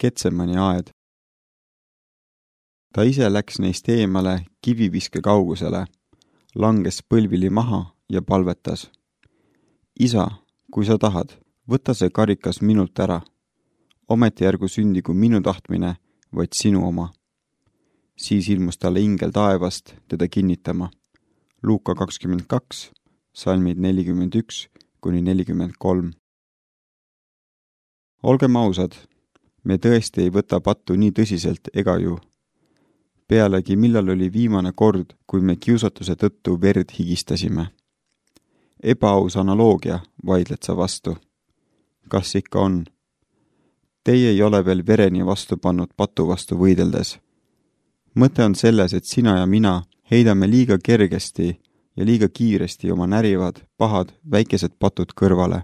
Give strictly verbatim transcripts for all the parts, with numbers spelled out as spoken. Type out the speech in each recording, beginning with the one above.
Getsemani aed. Ta ise läks neist eemale kiviviske kaugusele, langes põlvili maha ja palvetas. Isa, kui sa tahad, võta see karikas minult ära. Ometi ärgu sündigu minu tahtmine, vaid sinu oma. Siis ilmus talle ingel taevast teda kinnitama. Luuka kakskümmend kaks, salmid nelikümmend üks kuni nelikümmend kolm. Olgem ausad, me tõesti ei võta pattu nii tõsiselt ega ju. Pealegi millal oli viimane kord, kui me kiusatuse tõttu verd higistasime. Ebaaus analoogia, vaidled sa vastu. Kas ikka on? Teie ei ole veel vereni vastu pannud patu vastu võideldes. Mõte on selles, et sina ja mina heidame liiga kergesti ja liiga kiiresti oma närivad, pahad, väikesed patud kõrvale.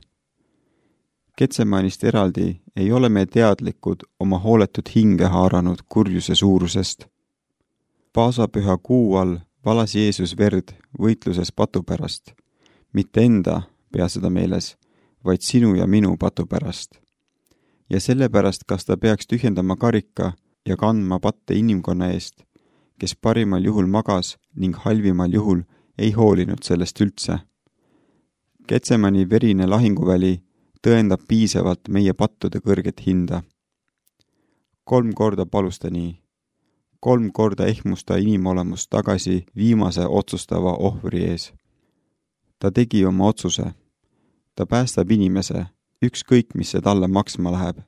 Getsemanist eraldi ei ole me teadlikud oma hooletud hinge haaranud kurjuse suurusest. Paasapüha kuu all valas Jeesus verd võitluses patu pärast. Mitte enda, pea seda meeles, vaid sinu ja minu patu pärast. Ja sellepärast, kas ta peaks tühjendama karika ja kandma patte inimkonna eest, kes parimal juhul magas ning halvimal juhul ei hoolinud sellest üldse. Getsemani verine lahinguväli tõendab piisavalt meie pattude kõrget hinda. Kolm korda palus ta nii. Kolm korda ehmusta inimolemust tagasi viimase otsustava ohvri ees. Ta tegi oma otsuse. Ta päästab inimese, ükskõik mis see talle maksma läheb.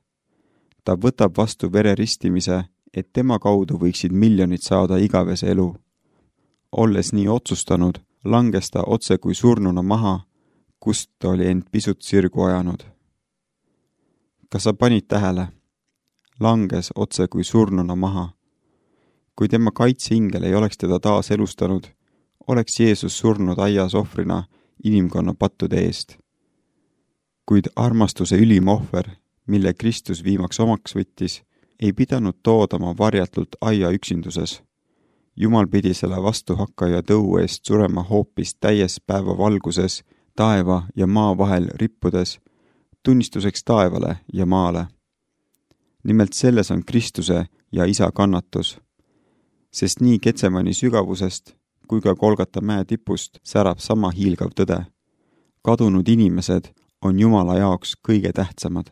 Ta võtab vastu vereristimise, et tema kaudu võiksid miljonid saada igavese elu. Olles nii otsustanud, langes ta otse kui surnuna maha, kust ta oli end pisut sirgu ajanud. Kas sa panid tähele? Langes otse kui surnuna maha. Kui tema kaitseingel ei oleks teda taas elustanud, oleks Jeesus surnud aias ohvrina inimkonna pattude eest. Kuid armastuse ülim ohver, mille Kristus viimaks omaks võttis, ei pidanud toodama varjatult aia üksinduses. Jumal pidi selle vastuhakkaja tõu eest surema hoopis täies päeva valguses, taeva ja maa vahel rippudes, tunnistuseks taevale ja maale. Nimelt selles on Kristuse ja Isa kannatus, sest nii Getsemani sügavusest kui ka Golgata mäe tipust särab sama hiilgav tõde. Kadunud inimesed on Jumala jaoks kõige tähtsamad.